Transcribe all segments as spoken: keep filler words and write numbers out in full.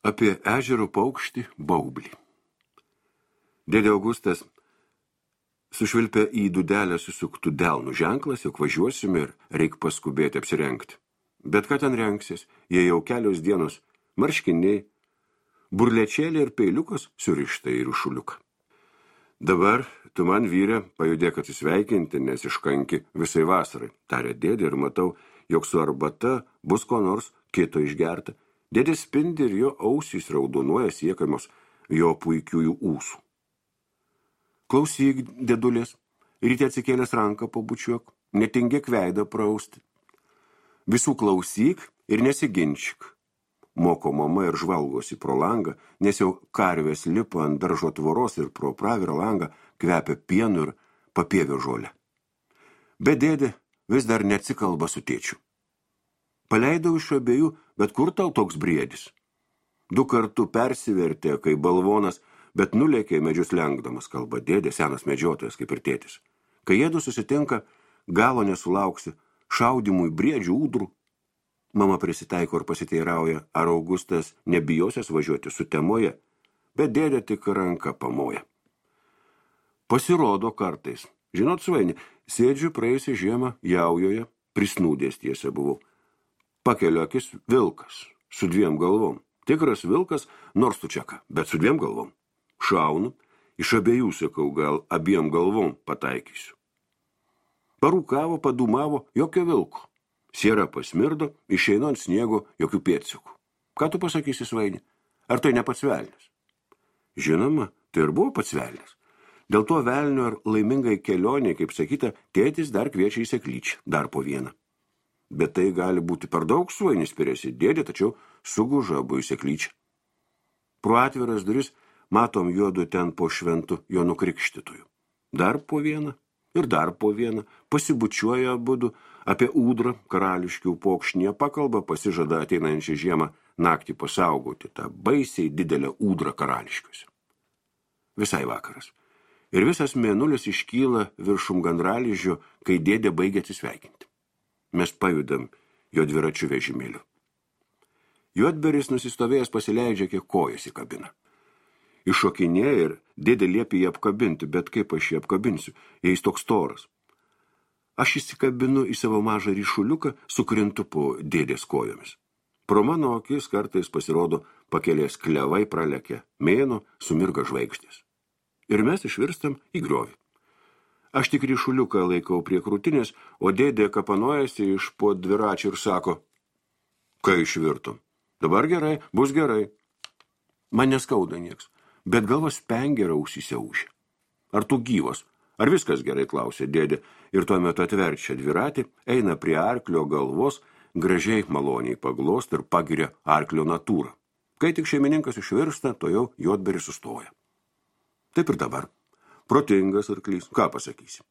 Apie ežero paukštį baublį. Dėdė Augustas sušvilpė į dudelę susuktų delnų ženklas, jog važiuosime ir reik paskubėti apsirengti. Bet ką ten rengsis, jie jau kelios dienos marškiniai, burlečėlė ir peiliukas surišta į rušuliuką. Dabar tu man, vyre, pajudėk atsisveikinti, nes iškanki visai vasarai, tarė dėdė, ir matau, jog su arbata bus ko nors kito išgerta. Dėdė spindi ir jo ausys raudonuoja siekamos jo puikiųjų ūsų. Klausyk, dėdulės, ryte atsikėlęs ranką pabučiuok, netingėk veidą prausti. Visų klausyk ir nesiginčyk. Moko mama ir žvalgosi pro langą, nes jau karvės lipa ant daržo tvoros ir pro pravirą langą kvepia pienu ir papievio žolę. Bet dėdė vis dar neatsikalba su tėčiu. Paleidau iš abiejų, bet kur tau toks briedis? Du kartų persivertė, kai balvonas, bet nulėkė medžius lenkdamas, kalba dėdė, senas medžiotojas kaip ir tėtis. Kai jėdu susitinka, galo nesulauksi, šaudimui briedžių ūdrų. Mama prisitaiko ir pasiteirauja, ar Augustas nebijosias važiuoti sutemoje, bet dėdė tik ranką pamoja. Pasirodo kartais. Žinot, svaini, sėdžiu praėjusią žiemą jaujoje, prisnūdęs tiesa buvau. Pakeliu akis vilkas su dviem galvom. Tikras vilkas, nors tu čiaka, bet su dviem galvom. Šaunu, iš abiejų sakau, gal abiem galvom pataikysiu. Parūkavo, padūmavo, jokio vilko. Siera pasmirdo, išeinu ant sniego, jokių pėdsakų. Ką tu pasakysi, svaini? Ar tai ne pats velnias? Žinoma, tai ir buvo pats velnias. Dėl to velnio ar laimingai kelionė, kaip sakyta, tėtis dar kviečia į seklyčią, dar po vieną. Bet tai gali būti per daug, svainis spirėsi dėdė, tačiau suguža abu į seklyčią. Pro atviras duris matom juodu ten po šventu jo nukrikštytojų. Dar po vieną ir dar po vieną pasibučiuoja abudu, apie ūdrą karališkių pokšnyje pakalba, pasižada ateinančią žiemą naktį pasaugoti tą baisiai didelę ūdrą karališkiuose. Visai vakaras. Ir visas mėnulis iškyla viršum gandraližio, kai dėdė baigia atsisveikinti. Mes pajudam jo dviračių vežimėliu. Juodberis nusistovėjęs pasileidžia, kiek kojas į kabiną. Iššokinėja ir dėdė liepia jį apkabinti, bet kaip aš jį apkabinsiu, jei jis toks storas. Aš įsikabinu į savo mažą ryšuliuką, sukrintu po dėdės kojomis. Pro mano akis kartais pasirodo pakelės klevai pralekia, mėno sumirga žvaigždės. Ir mes išvirstam į griovį. Aš tik ryšuliuką laikau prie krūtinės, o dėdė kapanojasi iš po dviračių ir sako, kai išvirtum. Dabar gerai, bus gerai. Man neskauda nieks, bet galvas pengeria ausyse ūžia. Ar tu gyvas? Ar viskas gerai, klausė dėdė, ir tuo metu atverčia dviratį, eina prie arklio galvos, gražiai maloniai paglost ir pagiria arklio natūrą. Kai tik šeimininkas išvirsta, to jau Juodberis sustoja. Taip ir dabar. Protingas arklys, ką pasakysim.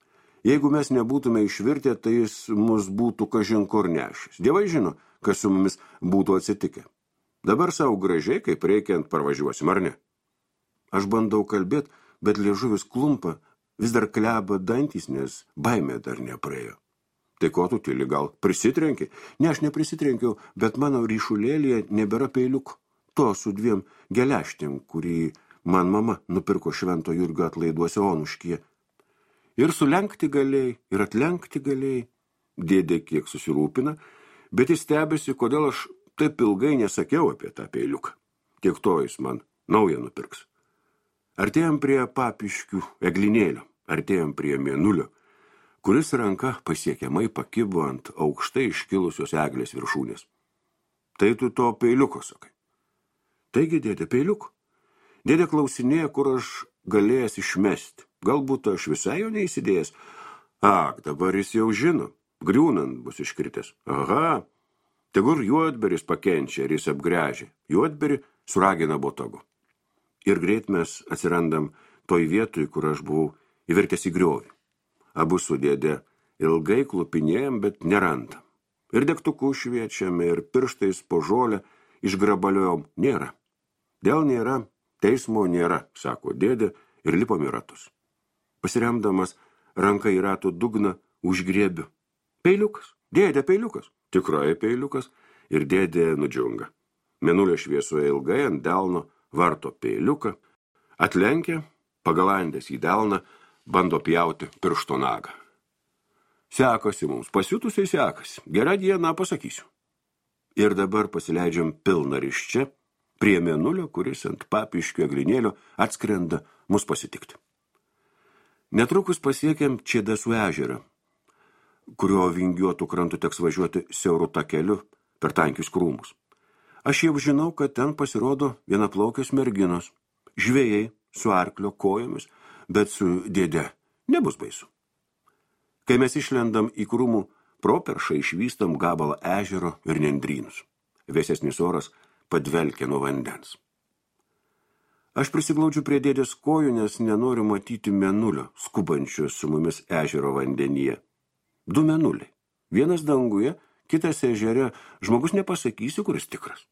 Jeigu mes nebūtume išvirtę, tai jis mus būtų kažin kur nešęs. Dievai žino, kas su mumis būtų atsitikę. Dabar savo gražiai, kaip reikiant, parvažiuosim, ar ne? Aš bandau kalbėt, bet liežuvis klumpa, vis dar kleba dantys, nes baimė dar nepraėjo. Tai ko tu tyli, gal prisitrenki? Ne, aš neprisitrenkiau, bet mano ryšulėlėje nebėra peiliuko. To su dviem geleštėm, kurį man mama nupirko Švento Jurgio atlaiduose Onuškyje. Ir sulenkti galėjai, ir atlenkti galėjai. Dėdė kiek susirūpina, bet jis stebėsi, kodėl aš taip ilgai nesakiau apie tą peiliuką. Tiek to jis man naują nupirks. Artėjom prie papiškių eglinėlio, artėjom prie mėnulio, kuris ranka pasiekiamai pakibo ant aukštai iškilusios eglės viršūnės. Tai tu to peiliuko sakai. Taigi, dėdė, peiliuko. Dėdė klausinėja, kur aš galėjęs išmesti. Galbūt aš visai jo neįsidėjęs. Ak, dabar jis jau žino. Griūnant bus iškritęs. Aha, tegur Juodberis pakenčia ir jis apgręžia. Juodberį suragina botagu. Ir greit mes atsirandam toj vietoj, kur aš buvau įvertęs į griovį. Abu su dėdė ilgai klupinėjom, bet nerandam. Ir degtukų šviečiam, ir pirštais po žolę išgrabaliojom. Nėra. Dėl nėra. Teismo nėra, sako dėdė, ir lipom į ratus. Pasiremdamas ranką į ratų dugną užgriebiu. Peiliukas, dėdė peiliukas, tikrai peiliukas, ir dėdė nudžiunga. Mėnulio šviesoje ilgai ant delno varto peiliuką, atlenkia, pagalandęs į delną, bando pjauti piršto nagą. Sekasi mums, pasiutusiai sekasi, gerą dieną pasakysiu. Ir dabar pasileidžiam pilną ryščią prie mėnulio, kuris ant papiškio eglinėlio atskrenda mus pasitikti. Netrukus pasiekėm Čėdasų ežerą, kurio vingiuotų krantų teks važiuoti siauru takeliu per tankius krūmus. Aš jau žinau, kad ten pasirodo vienaplaukės merginos, žvejai su arklio kojomis, bet su dėde nebus baisu. Kai mes išlendam į krūmų properšą, išvystam gabalą ežero ir nendrynus. Vėsesnis oras padvelkia nuo vandens. Aš prisiglaudžiu prie dėdės kojų, nes nenoriu matyti mėnulio, skubančio su mumis ežero vandenyje. Du mėnuliai. Vienas danguje, kitas ežere, žmogus nepasakysiu, kuris tikras.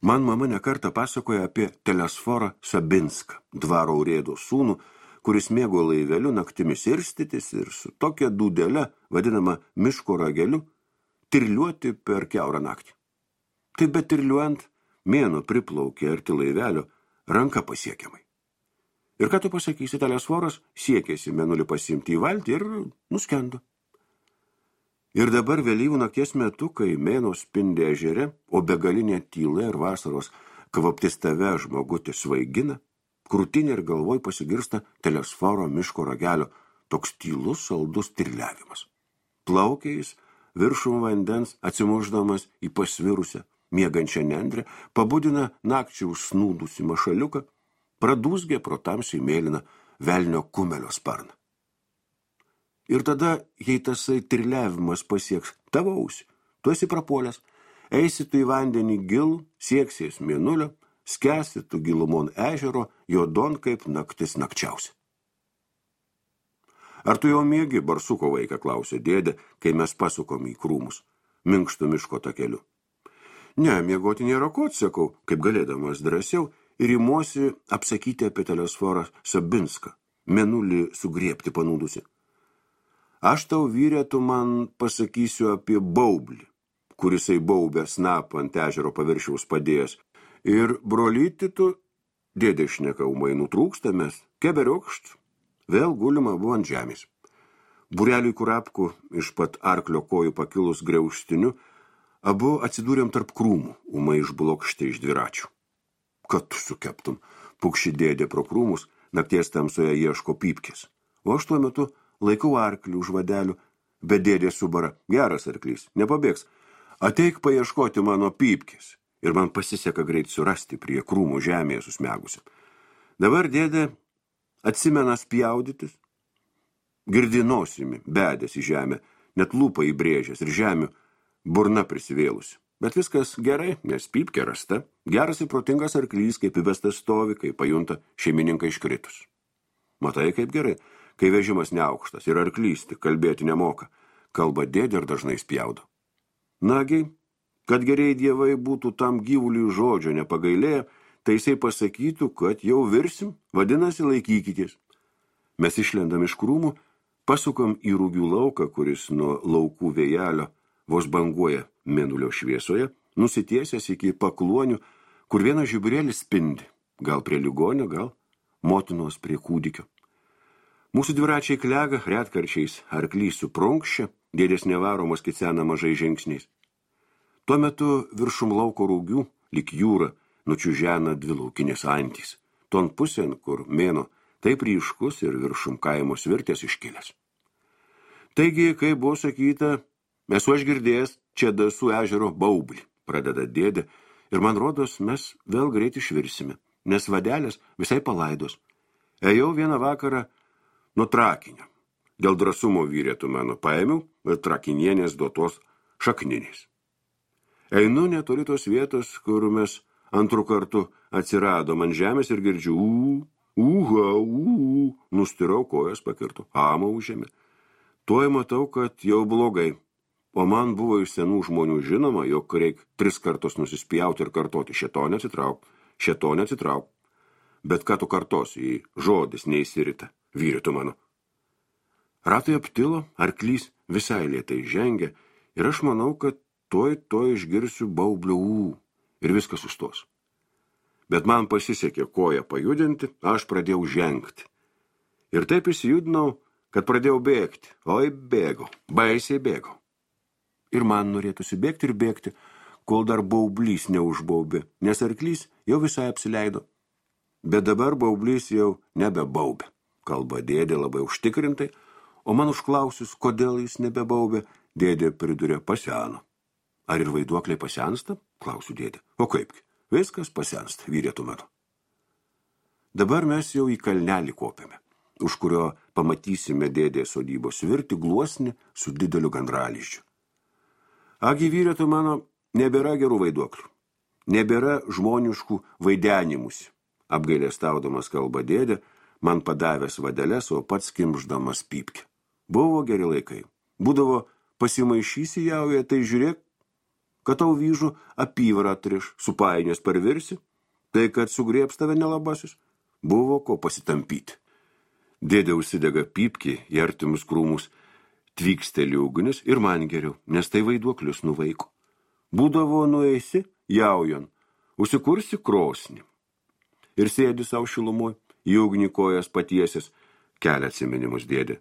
Man mama nekartą pasakoja apie Telesforą Sabinską, dvaro urėdo sūnų, kuris mėgo laiveliu naktimis irstytis ir su tokia dūdele, vadinama miško rageliu, tirliuoti per kiaurą naktį. Taip bet tirliuojant, mėnuo priplaukė arti laivelio, ranka pasiekiamai. Ir ką tu pasakysi, Telesforas siekėsi mėnulį pasiimti į valtį ir nuskendo. Ir dabar vėlyvų nakties metu, kai mėnuo spindi ežere, o begalinė tyla ir vasaros kvaptis tave žmogutis svaigina, krūtinė ir galvoj pasigirsta Telesforo miško ragelio toks tylus, saldus tirliavimas. Plaukia jis viršum vandens, atsimušdamas į pasvirusią, miegančią nendrę, pabudina nakčiai užsnūdusi mašaliuką, pradūzgia pro tamsiai mėlyną velnio kumelio sparną. Ir tada, jei tasai tirliavimas pasieks tavo ausį, tu esi prapuolęs, eisi tu į vandenį gilų, sieksies mėnulio, skęsi tu gilumon ežero, juodon kaip naktis nakčiausia. Ar tu jau miegi, barsuko vaiką, klausė dėdė, kai mes pasukom į krūmus, minkštų miško takeliu. Ne, miegoti nėra ko, atsakau, kaip galėdamas drąsiau, ir įmuosi apsakyti apie Telesforą Sabinską, mėnulį sugriebti panūdusi. Aš tau, vyrė, tu man pasakysiu apie baublį, kurisai baubę snapą ant ežero paviršiaus padėjęs. Ir brolyti tu, dėdė šneka umai nutrūksta mes, keberiokšt, vėl gulima buvo ant žemės. Bureliui kurapkų iš pat arklio kojų pakilus griauštiniu, abu atsidūrėm tarp krūmų, umai išblokšti iš dviračių. Kad tu sukeptum, pukši dėdė pro krūmus, nakties tamsoje ieško pypkės. O aš tuo metu laikau arklį už vadelių, bet dėdė subara, geras arklys, nepabėgs, ateik paieškoti mano pypkės. Ir man pasiseka greit surasti prie krūmų žemėje susmegusi. Dabar dėdė atsimena spjaudytis, girdi nosimi, bedės į žemę, net lūpą įbrėžęs ir žemių burna prisivėlusi. Bet viskas gerai, nes pypkė rasta, geras ir protingas arklys, kaip įvestas stovi, kai pajunta šeimininką iškritus. Matai, kaip gerai, kai vežimas neaukštas ir arklys tik kalbėti nemoka, kalba dėdė ir dažnai spjaudo. Nagi, kad geriai dievai būtų tam gyvuliui žodžio nepagailėję, tai jisai pasakytų, kad jau virsim, vadinasi laikykitės. Mes išlendam iš krūmų, pasukam į rūgių lauką, kuris nuo laukų vėjelio vos banguoja mėnulio šviesoje, nusitiesęs iki pakluonių, kur vienas žiburėlis spindi, gal prie ligonio, gal motinos prie kūdikio. Mūsų dviračiai klega, retkarčiais arklys suprunkščia, dėdės nevaromos kicena mažai žingsniais. Tuo metu viršum lauko rūgių, lyg jūra, nučiužena dvi laukinės antys, ton pusėn, kur mėno taip ryškus ir viršum kaimo svirtės iškilęs. Taigi, kai buvo sakyta, esu aš girdėjęs Čėdasų ežero baublį, pradeda dėdė, ir man rodos, mes vėl greit išvirsime, nes vadelės visai palaidos. Ėjau vieną vakarą nuo trakinio. Dėl drąsumo vyrėtų mano paėmiau ir trakinienės duotos šakninės. Einu netoli tos vietos, kur mes antrų kartų atsiradom ant žemės ir girdžiu ū, ūha, ū, nustirau kojas pakirtų, amą užėmė. Tuoj matau, kad jau blogai, o man buvo iš senų žmonių žinoma, jog reik tris kartus nusispjauti ir kartoti šėtonę atsitrauk, šėtonę atsitrauk. Bet ką tu kartosi, jei žodis neįsirita, vyrytų mano. Ratai aptilo, arklys visai lėtai žengia ir aš manau, kad toj toj išgirsiu baublio ū ir viskas sustos. Bet man pasisekė koją pajudinti, aš pradėjau žengti. Ir taip įsijudinau, kad pradėjau bėgti. Oi, bėgau, baisiai bėgau. Ir man norėtųsi bėgti ir bėgti, kol dar baublys neužbaubė, nes arklys jau visai apsileido. Bet dabar baublys jau nebebaubė. Kalba dėdė labai užtikrintai, o man užklausius, kodėl jis nebebaubė, dėdė pridurė paseno. Ar ir vaiduokliai pasensta? Klausiu dėdė. O kaipgi? Viskas pasensta, vyrėtų mano. Dabar mes jau į kalnelį kopėme, už kurio pamatysime dėdės sodybos virti gluosnį su dideliu gandralizdžiu. Agi vyrėtų mano, nebėra gerų vaiduoklių, nebėra žmoniškų vaidenimusi. Apgailestaudamas kalba dėdė, man padavęs vadeles, o pats kimždamas pypkę. Buvo geri laikai. Būdavo pasimaišysi jauja, tai žiūrėk, kad tau vyžų apyvarą atriš, supainios parvirsi, tai kad sugriebs tave nelabasis, buvo ko pasitampyti. Dėdė užsidega pypkį į artimus krūmus, tvyksteli ugnis ir man geriau, nes tai vaiduoklius nuvaiko. Būdavo nueisi jaujon, užsikursi krosnį. Ir sėdi savo šilumoj, į ugnį kojas patiesis, kelia atsiminimus dėdė.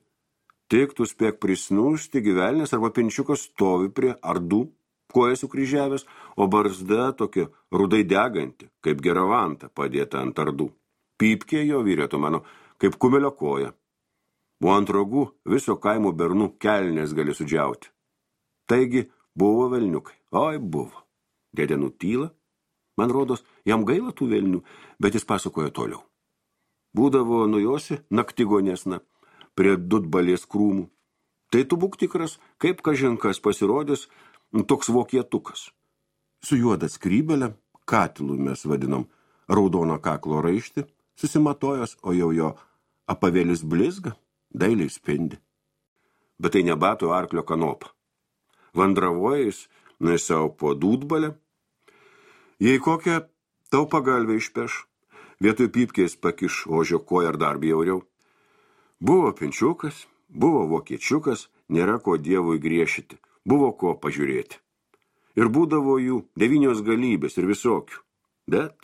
Tik tu spėk prisnūsti gyvelnės arba pinčiukas stovi prie ardų, kojas sukryžiavęs, o barzda tokia rudai deganti, kaip geravanta padėta ant ardų. Pypkė jo vyrėtų mano, kaip kumelio koja. O ant rogų viso kaimo bernų kelnės gali sudžiauti. Taigi buvo velniukai. Oi, buvo. Dėdė nutyla. Man rodos, jam gaila tų velnių, bet jis pasakojo toliau. Būdavo nujosi naktigonėsna prie dudbalės krūmų. Tai tu būk tikras, kaip kažinkas pasirodys toks vokietukas. Su juoda skrybelė, katilų mes vadinam, raudono kaklo raištį, susimatojos, o jau jo apavėlis blizga, dailiai spindi. Bet tai nebato arklio kanopą. Vandravojas, nuėsiau po dūdbalę. Jei kokią tau pagalvę išpeš, vietoj pypkės pakiš ožio koją ar dar bjauriau. Buvo pinčiukas, buvo vokiečiukas, nėra ko dievui griešyti, buvo ko pažiūrėti. Ir būdavo jų devynios galybės ir visokių. Bet,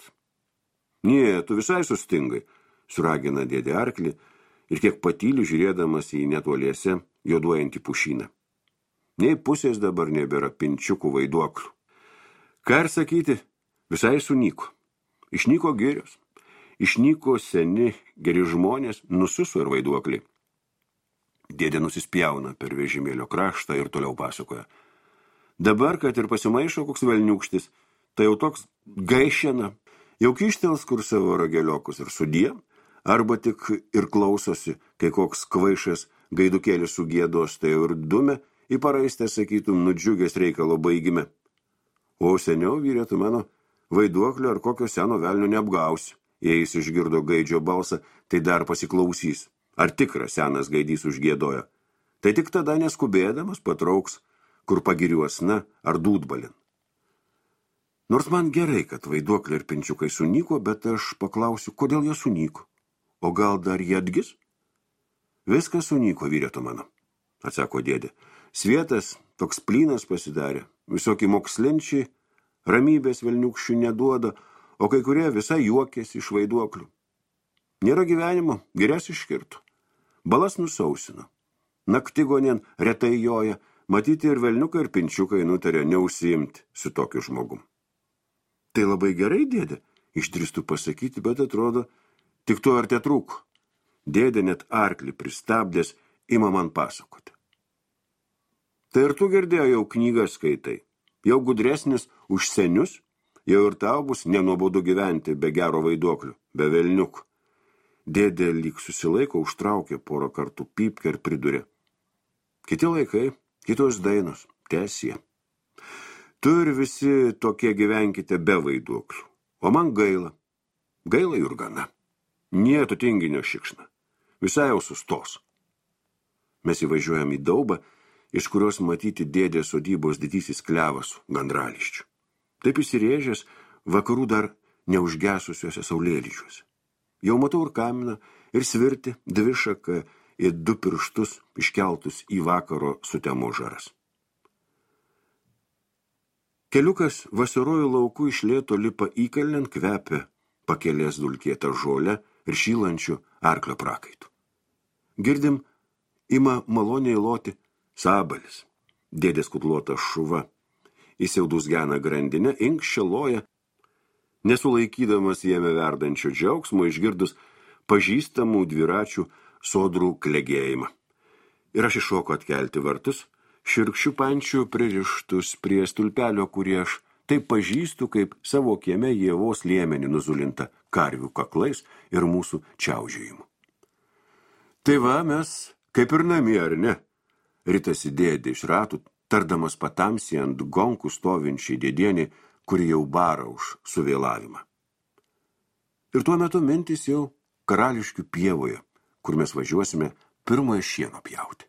nie, tu visai sustingai, suragina dėdė arklį ir kiek patylių žiūrėdamas į netoliese juoduojantį pušyną. Nei pusės dabar nebėra pinčiukų vaiduoklių. Ką ir sakyti, visai sunyko. Išnyko girios, išnyko seni geri žmonės, nususo ir vaiduokliai. Dėdė nusispjauna per vežimėlio kraštą ir toliau pasakoja. Dabar, kad ir pasimaišo koks velniūkštis, tai jau toks gaišena, jau kištels kur savo rageliokus ir sudie, arba tik ir klausosi, kai koks kvaišas gaidukėlis sugėdos, tai jau ir dume į paraistę, sakytum, nudžiugęs reikalo baigime. O seniau vyrėtų mano vaiduoklio ar kokio seno velnio neapgausi. Jei jis išgirdo gaidžio balsą, tai dar pasiklausys. Ar tikras senas gaidys užgėdojo. Tai tik tada neskubėdamas patrauks, kur pagiriuosna ar dūdbalin. Nors man gerai, kad vaiduokliai ir pinčiukai sunyko, bet aš paklausiu, kodėl jie sunyko. O gal dar jie atgis? Viskas sunyko, vyrėtų mano, atsako dėdė. Svietas toks plynas pasidarė, visokie mokslinčiai, ramybės velniukščių neduoda, o kai kurie visai juokėsi iš vaiduoklių. Nėra gyvenimo, girias iškirtų. Balas nusausino. Naktigonien retai joja, matyti ir velniukai ir pinčiukai nutarė neužsiimti su tokiu žmogum. Tai labai gerai, dėdė, išdrįstų pasakyti, bet atrodo, tik to ar te trūko. Dėdė net arklį pristabdęs ima man pasakoti. Tai ir tu girdėjau jau knygą skaitai, jau gudresnis už senius, jau ir tau bus nenuobodu gyventi be gero vaiduoklių, be velniukų. Dėdė lyg susilaiko, užtraukė porą kartų pypkę ir pridurė. Kiti laikai, kitos dainos, tęsie. Tu ir visi tokie gyvenkite be vaiduoklių, o man gaila. Gaila ir gana. Nie tu tinginio šikšna. Visai jau sustos. Mes įvažiuojam į daubą, iš kurios matyti dėdės sodybos didysis klevas su gandrališčiu. Taip įsirėžęs vakarų dar neužgesusiuose saulėlyčiuose. Jau matau ir kaminą, ir svirti, dvišaką, ir du pirštus iškeltus į vakaro sutemo žaras. Keliukas vasarojo lauku iš lėto lipa įkalnent, kvepia pakelės dulkėtą žolę ir šylančių arklio prakaitų. Girdim, ima maloniai loti sabalis, dėdės kutluota šuva. Įsiaudus gena grandinę, inkščeloja, nesulaikydamas jame verdančio džiaugsmo, išgirdus pažįstamų dviračių sodrų klegėjimą. Ir aš iššoku atkelti vartus, širkščių pančių pririštus prie stulpelio, kurį aš taip pažįstu, kaip savo kieme Ievos liemenį nuzulinta karvių kaklais ir mūsų čiaužėjimu. Tai va, mes kaip ir namie, ar ne? Ritasi dėdė iš ratų, tardamas patamsį ant gonkų stovinčiai dėdienį, kuri jau bara už suvėlavimą. Ir tuo metu mintis jau Karališkių pievoje, kur mes važiuosime pirmojo šieno pjauti.